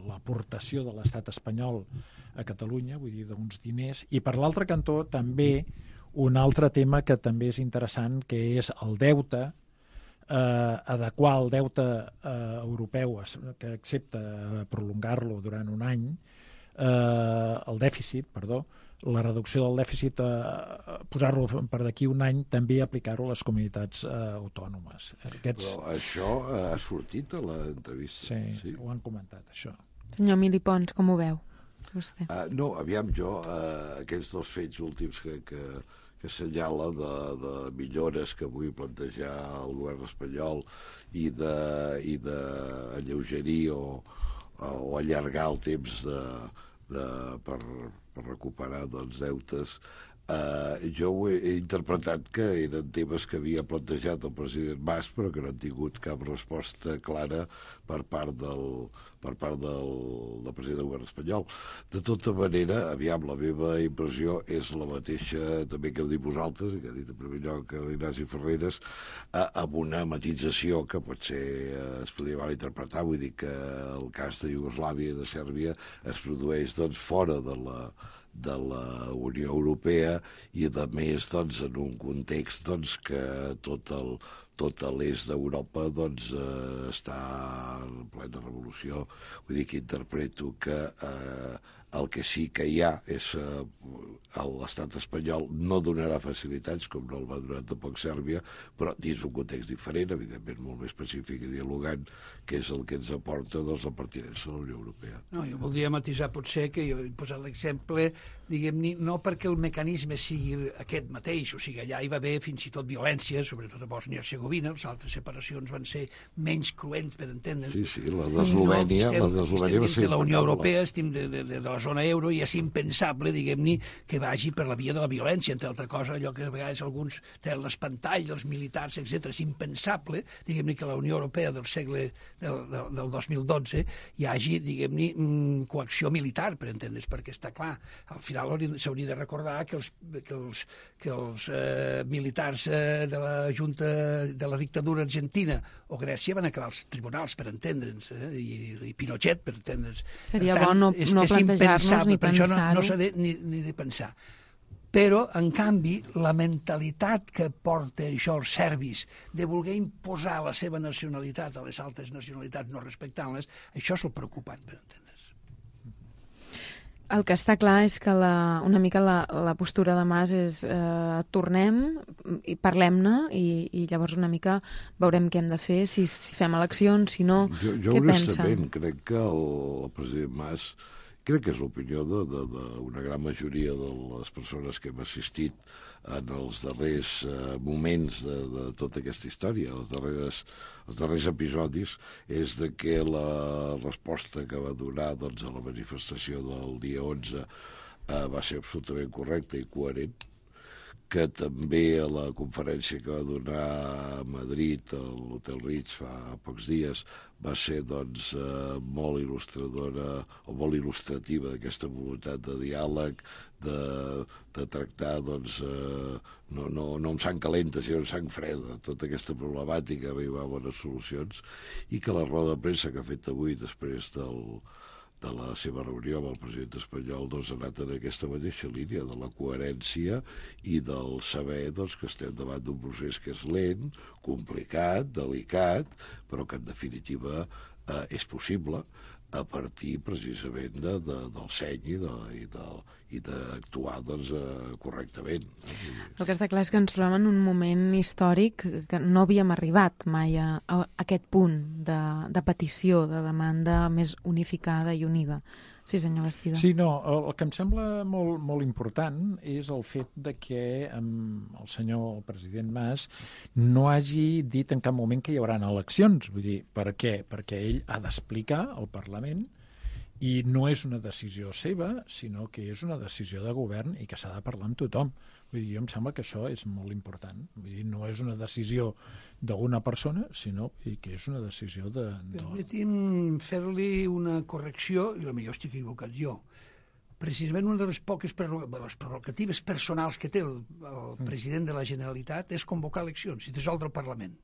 l'aportació de l'estat espanyol a Catalunya, vull dir, d'uns diners, i per l'altre cantó també un altre tema que també és interessant, que és el deute, adequar el deute europeu que accepta prolongar-lo durant un any, el dèficit, perdó, la reducció del dèficit, posar-lo per d'aquí un any, també aplicar-ho a les comunitats autònomes. Però això ha sortit a l'entrevista? Sí, ho han comentat, això. Senyor Emili Pons, com ho veu? Vostè? No, aviam, jo, aquests dos fets últims que assenyala de millores que vull plantejar al govern espanyol i d'alleugerir o allargar el temps per recuperar deutes. Jo ho he interpretat que eren temes que havia plantejat el president Mas, però que no han tingut cap resposta clara per part del president del govern espanyol. De tota manera, aviam, la meva impressió és la mateixa també que heu dit vosaltres, i que ha dit en primer lloc l'Ignasi Ferreres, amb una matització que potser es podria mal interpretar. Vull dir que el cas de Iugoslàvia i de Sèrbia es produeix fora de la Unió Europea i, a més, en un context que tot l'est d'Europa està en plena revolució. Vull dir que interpreto que el que sí que hi ha és l'estat espanyol no donarà facilitats, com no el va donar tampoc Sèrbia, però dins un context diferent, evidentment molt més pacífic i dialogant, que és el que ens aporta la pertinença a la Unió Europea. No, jo voldria matisar potser que jo he posat l'exemple, diguem-ne, no perquè el mecanisme sigui aquest mateix, o sigui, allà hi va haver fins i tot violència, sobretot a Bòsnia i Hercegovina, les altres separacions van ser menys cruents, per entendre's. Sí, la d'Eslovènia va ser... La Unió Europea, estem de la zona euro, i és impensable, diguem-ne, que vagi per la via de la violència, entre altra cosa, allò que a vegades alguns tenen l'espantall dels militars, etc. És impensable, diguem-ne, que la Unió Europea del segle del 2012 hi hagi, diguem-ne, coacció militar, per entendre's, perquè està clar, al final s'hauria de recordar que els militars de la Junta de la dictadura argentina o Grècia van acabar als tribunals, per entendre'ns, i Pinochet, per entendre'ns. Seria bo no plantejar-nos ni pensar-ho. No s'ha ni de pensar. Però, en canvi, la mentalitat que porta això els serbis de voler imposar la seva nacionalitat a les altres nacionalitats no respectant-les, això és el preocupant, per entendre's. El que està clar és que una mica la postura de Mas és tornem i parlem-ne i llavors una mica veurem què hem de fer, si fem eleccions, si no, jo què pensa? Jo honestament crec que el president Mas, crec que és l'opinió d'una gran majoria de les persones que hem assistit en els darrers moments de tota aquesta història, els darrers episodis, és de que la resposta que va donar a la manifestació del dia 11 va ser absolutament correcta i coherent, que també a la conferència que va donar a Madrid, a l'Hotel Ritz, fa pocs dies, va ser molt il·lustradora o molt il·lustrativa d'aquesta voluntat de diàleg, de tractar no amb sang calenta, sinó amb sang freda, tota aquesta problemàtica, arribar a bones solucions, i que la roda de premsa que ha fet avui després de la seva reunió amb el president espanyol doncs, ha anat en aquesta mateixa línia de la coherència i del saber doncs, que estem davant d'un procés que és lent, complicat, delicat, però que en definitiva és possible a partir precisament del seny i d'actuar doncs, correctament. El que està clar és que ens trobem en un moment històric que no havíem arribat mai a aquest punt de petició, de demanda més unificada i unida. Sí, senyor Bastida. Sí, no, el que em sembla molt important és el fet de que el senyor president Mas no hagi dit en cap moment que hi haurà eleccions. Vull dir, per què? Perquè ell ha d'explicar al Parlament i no és una decisió seva, sinó que és una decisió de govern i que s'ha de parlar amb tothom. Vull dir, jo em sembla que això és molt important. Vull dir, no és una decisió d'una persona, sinó que és una decisió de... Permeti'm fer-li una correcció, i potser estic equivocat jo. Precisament una de les poques les prerrogatives personals que té el president de la Generalitat és convocar eleccions i dissoldre el Parlament.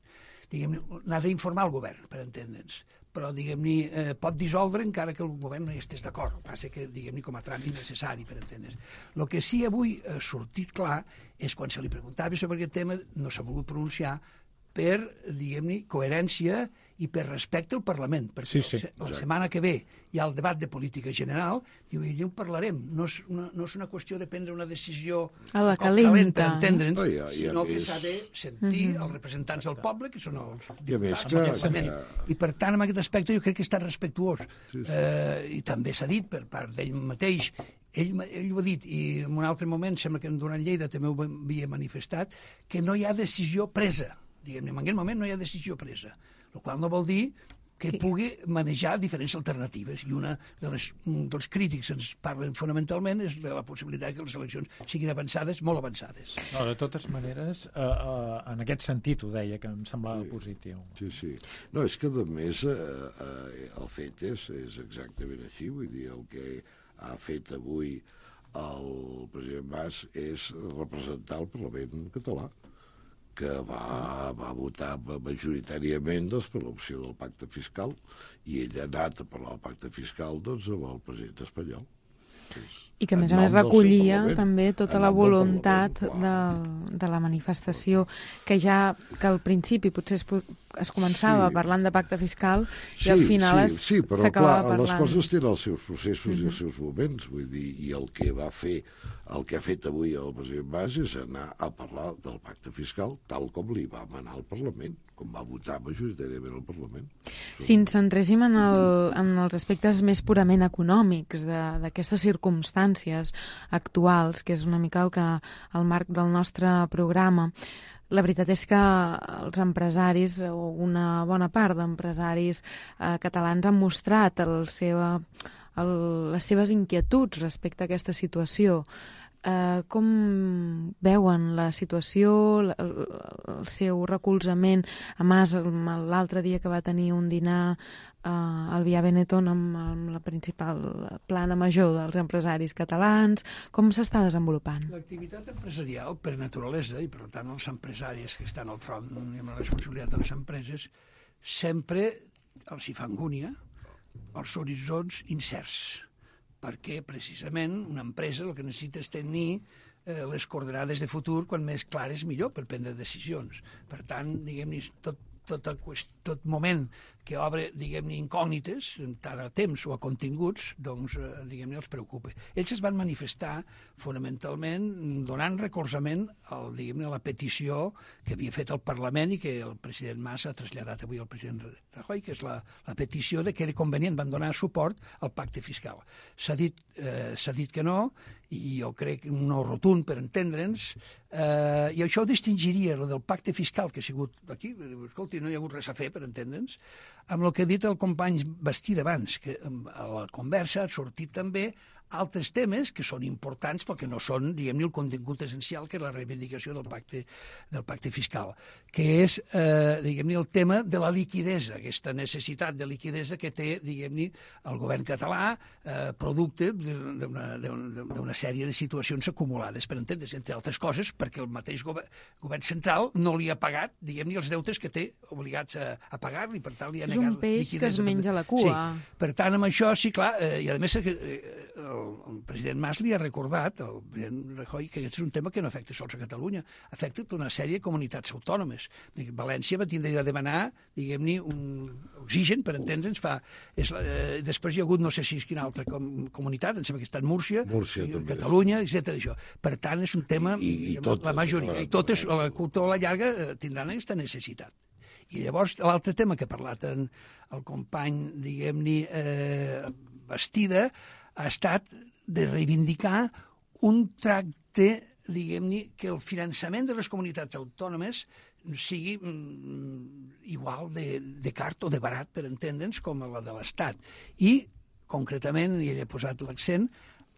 Diguem-ne, n'ha d'informar el govern, per entendre'ns, però, diguem-ne, pot dissoldre encara que el govern no hi estés d'acord. El que passa que, diguem-ne, com a tràmit necessari, per entendre'ns. El que sí avui ha sortit clar és quan se li preguntava sobre aquest tema no s'ha volgut pronunciar per, diguem-ne, coherència i per respecte al Parlament, perquè la setmana que ve hi ha el debat de política general, diu, i allà ho parlarem, no és una qüestió de prendre una decisió a la calent, per entendre'ns, sinó que s'ha de sentir els representants del poble, que són els diputats del Parlament. I per tant, en aquest aspecte jo crec que està respectuós. I també s'ha dit per part d'ell mateix, ell ho ha dit, i en un altre moment, sembla que durant Lleida també ho havia manifestat, que no hi ha decisió presa. Diguem-ne, en aquest moment no hi ha decisió presa, el qual no vol dir que pugui manejar diferents alternatives. I una dels crítics ens parlen fonamentalment és de la possibilitat que les eleccions siguin avançades, molt avançades. No, de totes maneres, en aquest sentit ho deia, que em semblava positiu. Sí. No, és que, a més, el fet és exactament així. Vull dir, el que ha fet avui el president Mas és representar el Parlament català, que va votar majoritàriament doncs, per l'opció del pacte fiscal, i ell ha anat a parlar del pacte fiscal doncs, amb el president espanyol. I que, a més a més, recollia també tota la voluntat de la manifestació, que ja que al principi potser es començava parlant de pacte fiscal i al final s'acabava parlant. Les coses tenen els seus processos i els seus moments, vull dir, i el que ha fet avui el president Mas és anar a parlar del pacte fiscal tal com li va manar al Parlament, com va votar majoritàriament al Parlament. Si ens centréssim en els aspectes més purament econòmics d'aquestes circumstàncies actuals, que és una mica el marc del nostre programa, la veritat és que els empresaris, o una bona part d'empresaris catalans, han mostrat les seves inquietuds respecte a aquesta situació. Com veuen la situació, el seu recolzament a Mas l'altre dia que va tenir un dinar al Via Benetton amb la principal plana major dels empresaris catalans? Com s'està desenvolupant? L'activitat empresarial, per naturalesa, i per tant els empresaris que estan al front i amb la responsabilitat de les empreses, sempre els hi fa angúnia els horitzons incerts, perquè precisament una empresa el que necessita és tenir les coordenades de futur quan més clares millor per prendre decisions. Per tant, diguem-ne, tot moment que obre, diguem-ne, incògnites, tant a temps o a continguts, doncs, diguem-ne, els preocupa. Ells es van manifestar fonamentalment donant recolzament diguem-ne, a la petició que havia fet el Parlament i que el president Mas ha traslladat avui al president Rajoy, que és la petició de que era convenient, van donar suport al pacte fiscal. S'ha dit que no, i jo crec un no rotund per entendre'ns, i això distingiria el del pacte fiscal que ha sigut aquí, escolti, no hi ha hagut res a fer per entendre'ns, amb el que ha dit el company Bastida abans, que a la conversa ha sortit també altres temes que són importants perquè no són, diguem-ne, el contingut essencial que és la reivindicació del pacte fiscal, que és, diguem-ne, el tema de la liquidesa, aquesta necessitat de liquidesa que té, diguem-ne, el govern català, producte d'una sèrie de situacions acumulades, per entendre's, entre altres coses, perquè el mateix govern central no li ha pagat, diguem-ne, els deutes que té obligats a pagar-li, per tant li ha negat liquidesa. És un peix que es menja la cua. Sí. Per tant, amb això, sí, clar, i a més el president Mas li ha recordat, el president Rajoy, que aquest és un tema que no afecta sols a Catalunya, afecta tota una sèrie de comunitats autònomes. València va tindre de demanar, diguem-ne, un oxigen, per entendre'ns, després hi ha hagut no sé si és quina altra comunitat, em sembla que ha estat Múrcia Catalunya, etc. Per tant, és un tema, la majoria, i totes, a la curta o a la llarga, tindran aquesta necessitat. I llavors, l'altre tema que ha parlat el company, diguem-ne, Bastida, ha estat de reivindicar un tracte, diguem-ne, que el finançament de les comunitats autònomes sigui igual de car o de barat, per entendre'ns, com la de l'Estat. I, concretament, i ell ha posat l'accent,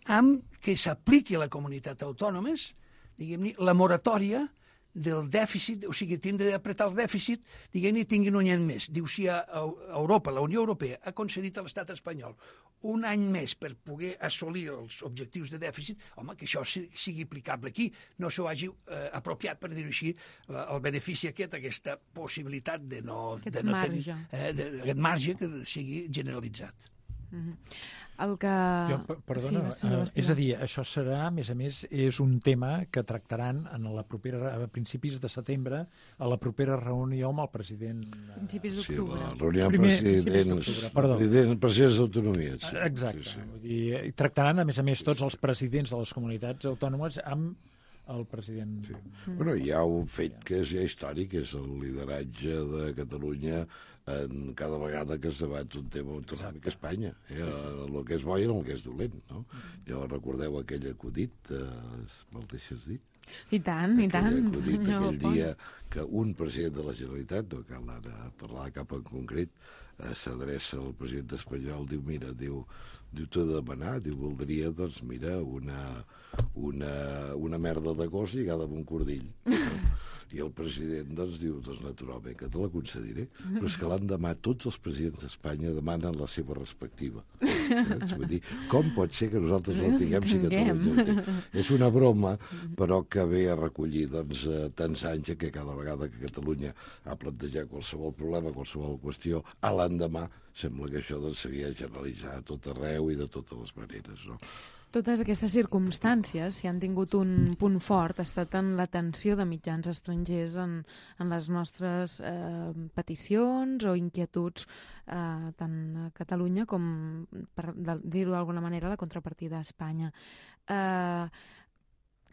amb que s'apliqui a la comunitat autònomes, diguem-ne, la moratòria del dèficit, o sigui, tindre d'apretar el dèficit, diguem-ne, tinguin un any més. Diu, si a Europa, la Unió Europea, ha concedit a l'estat espanyol un any més per poder assolir els objectius de dèficit, home, que això sigui aplicable aquí, no s'ho hagi apropiat, per dir-ho així, el benefici aquesta possibilitat de no tenir aquest marge que sigui generalitzat. Perdona, és a dir, això serà, a més, és un tema que tractaran a principis de setembre, a la propera reunió amb el president... Principis d'octubre. Sí, la reunió amb presidents d'autonomies. Exacte. I tractaran, a més, tots els presidents de les comunitats autònomes amb el president... Sí. Bueno, hi ha un fet que és ja històric, que és el lideratge de Catalunya en cada vegada que es debat un tema autonòmic a Espanya. El que és bo i el que és dolent, no? Ja recordeu aquell acudit, me'l deixes dir? I tant, aquell dia que un president de la Generalitat, no cal ara parlar cap en concret, s'adreça al president espanyol, diu, mira, diu, t'ho de demanar, diu, voldria, doncs, mira, una merda de gos lligada amb un cordill. I el president, doncs, diu, doncs, naturalment, que te la concediré, però és que l'endemà tots els presidents d'Espanya demanen la seva respectiva. Vull dir, com pot ser que nosaltres no tinguem si Catalunya ho té? És una broma, però que ve a recollir, doncs, tants anys que cada vegada que Catalunya ha plantejat qualsevol problema, qualsevol qüestió, a l'endemà sembla que això doncs, s'havia generalitzat a tot arreu i de totes les maneres, no? Totes aquestes circumstàncies, si han tingut un punt fort, ha estat en l'atenció de mitjans estrangers en les nostres peticions o inquietuds, tant a Catalunya com, per dir-ho d'alguna manera, la contrapartida a Espanya.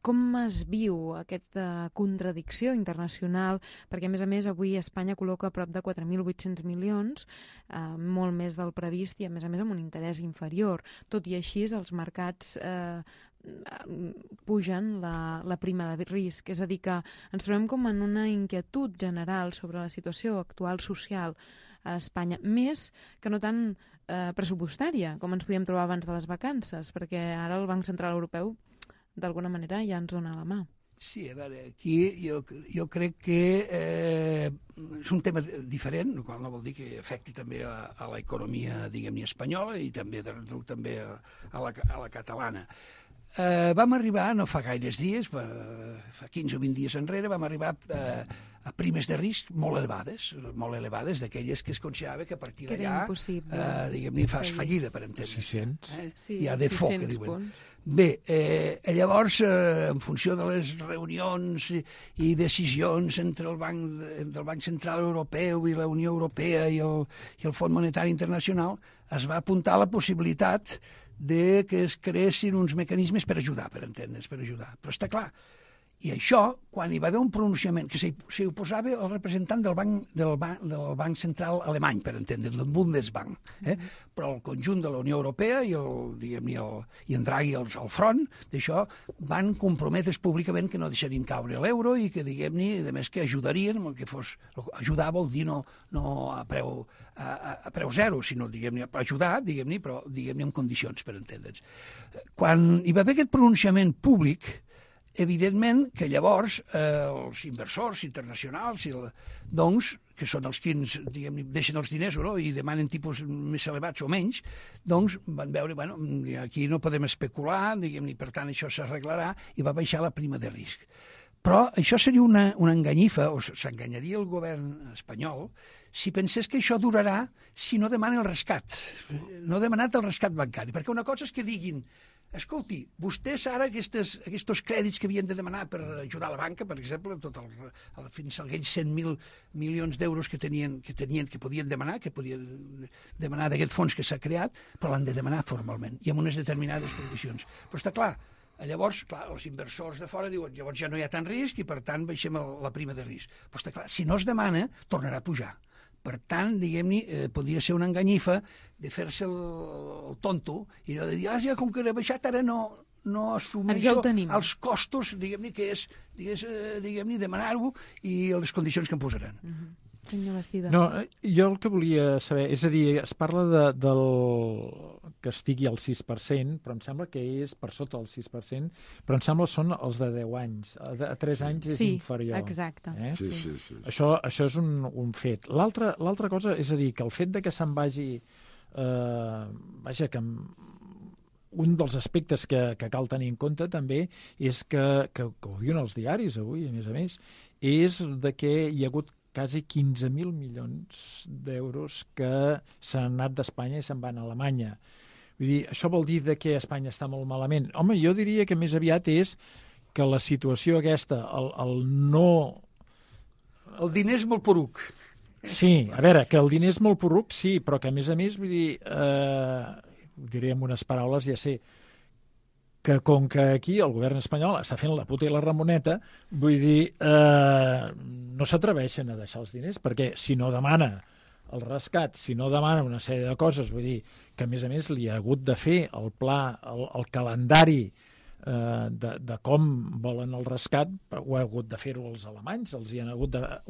Com es viu aquesta contradicció internacional? Perquè, a més, avui Espanya col·loca prop de 4.800 milions, molt més del previst i, a més, amb un interès inferior. Tot i així, els mercats pugen la prima de risc. És a dir, que ens trobem com en una inquietud general sobre la situació actual social a Espanya, més que no tant pressupostària, com ens podíem trobar abans de les vacances, perquè ara el Banc Central Europeu d'alguna manera ja ens dona la mà. Sí, a veure, aquí jo crec que és un tema diferent, el qual no vol dir que afecti també a l'economia, diguem-ne, espanyola i també a la catalana. Vam arribar, no fa gaires dies, fa 15 o 20 dies enrere, vam arribar a primes de risc molt elevades, d'aquelles que es considerava que a partir d'allà, diguem-ne, fas fallida, per entendre. 600. Hi ha default, que diuen. Bé, llavors, en funció de les reunions i decisions entre el Banc Central Europeu i la Unió Europea i el Fons Monetari Internacional, es va apuntar la possibilitat de que es creessin uns mecanismes per ajudar, per entendre's, per ajudar. Però està clar, i això, quan hi va haver un pronunciament que s'hi oposava el representant del Banc Central alemany, per entendre's, del Bundesbank, però el conjunt de la Unió Europea i en Draghi al front d'això van comprometre's públicament que no deixarien caure l'euro i que, diguem-ne, a més que ajudarien, el que fos ajudar vol dir no a a preu zero, sinó, diguem-ne, per ajudar, diguem-ne, però, diguem-ne, en condicions, per entendre'ns. Quan hi va haver aquest pronunciament públic, evidentment que llavors els inversors internacionals, doncs, que són els que diguem, deixen els diners i demanen tipus més elevats o menys, doncs van veure, bueno, aquí no podem especular, diguem, i per tant això s'arreglarà, i va baixar la prima de risc. Però això seria una enganyifa, o s'enganyaria el govern espanyol, si pensés que això durarà si no demanen el rescat. No ha demanat el rescat bancari, perquè una cosa és que diguin: escolti, vostès ara aquests crèdits que havien de demanar per ajudar la banca, per exemple, fins a aquells 100.000 milions d'euros que podien demanar d'aquest fons que s'ha creat, però l'han de demanar formalment i amb unes determinades condicions. Però està clar, llavors, els inversors de fora diuen llavors ja no hi ha tant risc i per tant baixem la prima de risc. Però està clar, si no es demana, tornarà a pujar. Per tant, diguem-ne, podria ser una enganyifa de fer-se el tonto i de dir, ja com que he baixat ara no assumeixo els costos, diguem-ne, que és demanar-ho i les condicions que em posaran. Senyor Bastida. No, jo el que volia saber, és a dir, es parla del que estigui al 6%, però em sembla que és per sota del 6%, però em sembla són els de 10 anys. A 3 anys és inferior. Sí, exacte. Sí. Això és un fet. L'altra cosa és a dir, que el fet de que se'n vagi... que un dels aspectes que cal tenir en compte també és que ho diuen els diaris avui, a més, és de que hi ha hagut quasi 15.000 milions d'euros que s'han anat d'Espanya i se'n van a Alemanya. Vull dir, això vol dir que Espanya està molt malament? Home, jo diria que més aviat és que la situació aquesta, el no... El diner és molt poruc. Sí, a veure, que el diner és molt poruc, sí, però que a més, vull dir, ho diré amb unes paraules, ja sé, que com que aquí el govern espanyol està fent la puta i la ramoneta, vull dir, no s'atreveixen a deixar els diners, perquè si no demana el rescat, si no demana una sèrie de coses, vull dir, que a més li ha hagut de fer el pla, el calendari de com volen el rescat, ho ha hagut de fer-ho els alemanys, ho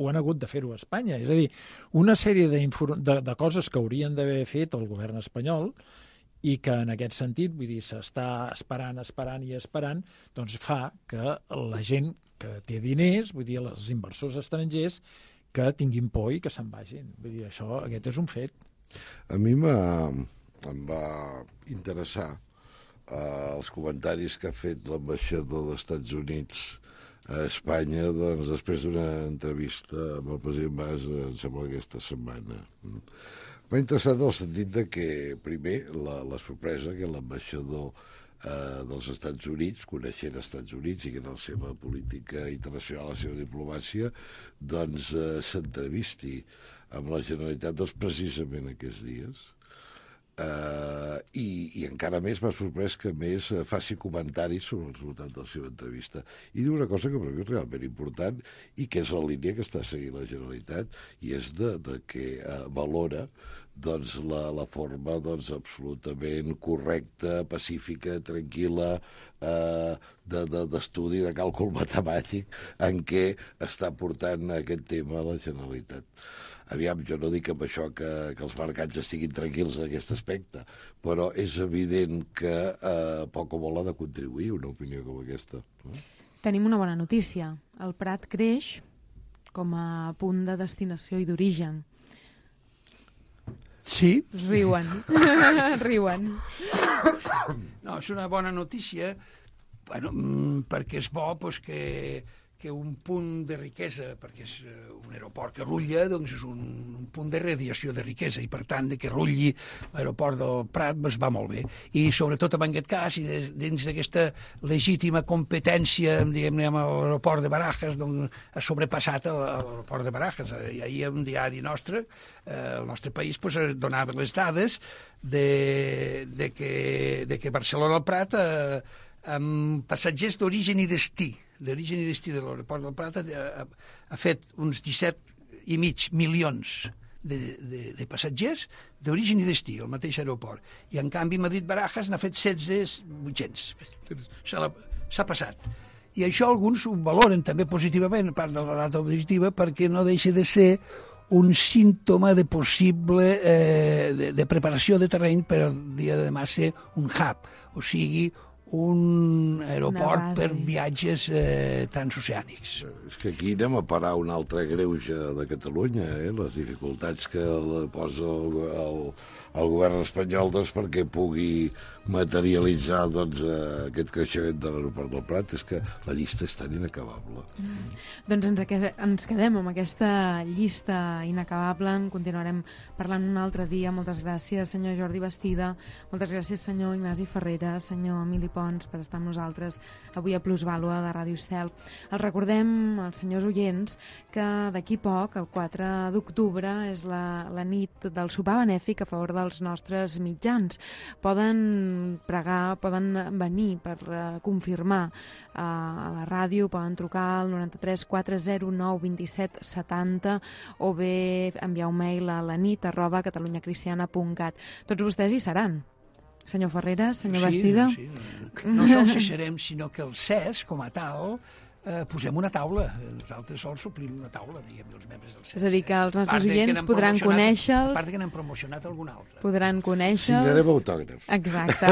han hagut de fer-ho a Espanya. És a dir, una sèrie de coses que haurien d'haver fet el govern espanyol i que en aquest sentit, vull dir, s'està esperant, doncs fa que la gent que té diners, vull dir, els inversors estrangers, que tinguin por i que se'n vagin. Vull dir, aquest és un fet. A mi em va interessar els comentaris que ha fet l'ambaixador dels Estats Units a Espanya, doncs, després d'una entrevista amb el president Mas, em sembla aquesta setmana. M'ha interessat en el sentit de que, primer, la sorpresa que l'ambaixador dels Estats Units, coneixent els Estats Units i que en la seva política internacional, la seva diplomàcia, doncs s'entrevisti amb la Generalitat precisament aquests dies. I encara més m'ha sorprès que més faci comentaris sobre el resultat de la seva entrevista i diu una cosa que per mi és realment important i que és la línia que està seguint la Generalitat i és de que valora doncs, la forma doncs, absolutament correcta, pacífica, tranquil·la d'estudi, de càlcul matemàtic en què està portant aquest tema a la Generalitat. Aviam, jo no dic amb això que els mercats estiguin tranquils en aquest aspecte, però és evident que poc o molt ha de contribuir una opinió com aquesta. Tenim una bona notícia. El Prat creix com a punt de destinació i d'origen. Sí. Riuen. Riuen. No, és una bona notícia, perquè és bo que un punt de riquesa, perquè és un aeroport que rutlla, doncs és un punt de radiació de riquesa i per tant que rutlli l'aeroport del Prat doncs va molt bé. I sobretot en aquest cas, i dins d'aquesta legítima competència, diguem-ne, amb l'aeroport de Barajas, doncs ha sobrepassat l'aeroport de Barajas. I ahir un diari nostre, el nostre país, doncs, donava les dades de que Barcelona al Prat amb passatgers d'origen i destí de l'aeroport del Prat ha fet uns 17,5 milions de passatgers d'origen i destí, el mateix aeroport. I en canvi Madrid-Barajas n'ha fet 16,800. S'ha passat. I això alguns ho valoren també positivament, a part de la data positiva, perquè no deixa de ser un símptoma de possible de preparació de terreny per al dia de demà ser un hub, o sigui, un aeroport per viatges transoceànics. És que aquí anem a parar un altre greuge de Catalunya, les dificultats que posa el govern espanyol perquè pugui materialitzar aquest creixement de l'aeroport del Prat. És que la llista és tan inacabable. Doncs ens quedem amb aquesta llista inacabable, en continuarem parlant un altre dia. Moltes gràcies, senyor Jordi Bastida, moltes gràcies, senyor Ignasi Ferrera, senyor Emili Pons, per estar amb nosaltres avui a Plusvàlua de Ràdio Estel. Els recordem, als senyors oients, que d'aquí poc, el 4 d'octubre, és la nit del sopar benèfic a favor dels nostres mitjans. Poden pregar, poden venir per confirmar a la ràdio, poden trucar al 93 409 27 70 o bé enviar un mail a lanit@catalunyacristiana.cat. Tots vostès hi seran. Senyor Ferrera, senyor Bastida. Sí. No sols hi serem, sinó que el CES, com a tal, posem una taula. Nosaltres sols suplim una taula, diguem, els membres del CES. És a dir, que els nostres oients podran conèixer-los. A part que n'hem promocionat algun altre. Podran conèixer-los. Signarem autògrafs. Exacte.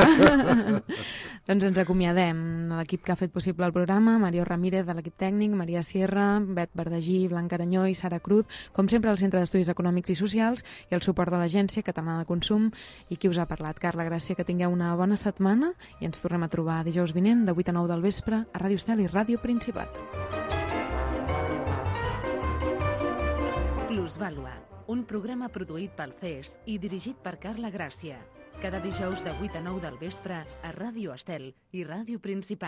Doncs ens acomiadem. L'equip que ha fet possible el programa, Mario Ramírez, de l'equip tècnic, Maria Sierra, Bet Verdagí, Blanca Aranyó i Sara Cruz, com sempre al Centre d'Estudis Econòmics i Socials i el suport de l'Agència Catalana de Consum. I qui us ha parlat? Carla Gràcia. Que tingueu una bona setmana i ens tornem a trobar dijous vinent de 8 a 9 del vespre a Ràdio Estel i Ràdio Principat. Plusvàlua, un programa produït pel CES i dirigit per Carla Gràcia. Cada dijous de 8 a 9 del vespre a Ràdio Estel i Ràdio Principat.